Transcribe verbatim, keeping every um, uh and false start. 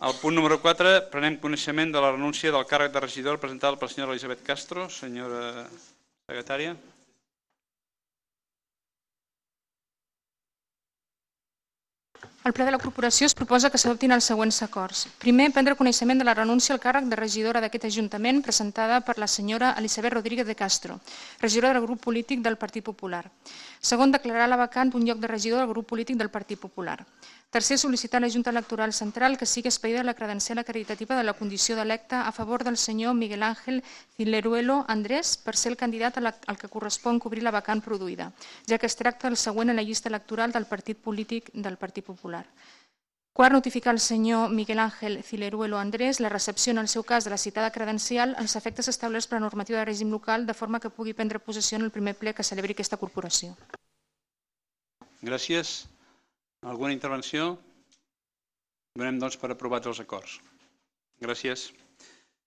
Al punt número quatre, prenem coneixement de la renúncia del càrrec de regidor presentada per la senyora Elisabet Castro. Senyora secretària. Al ple de la corporació es proposa que s'adoptin els següents acords. Primer, prendre coneixement de la renúncia al càrrec de regidora d'aquest Ajuntament presentada per la senyora Elisabet Rodríguez de Castro, regidora del grup polític del Partit Popular. Segon, declarar la vacant un lloc de regidor del grup polític del Partit Popular. Tercer, sol·licitar a la Junta Electoral Central que sigui expedida la credencial acreditativa de la condició d'electe a favor del senyor Miguel Ángel Cileruelo Andrés per ser el candidat al que correspon cobrir la vacant produïda, ja que es tracta del següent en la llista electoral del partit polític del Partit Popular. Quart, notificar al senyor Miguel Ángel Cileruelo Andrés la recepció en el seu cas de la citada credencial als efectes establerts per la normativa de règim local de forma que pugui prendre possessió en el primer ple que celebri aquesta corporació. Gràcies. Alguna intervenció? Donem doncs per aprovats els acords. Gràcies.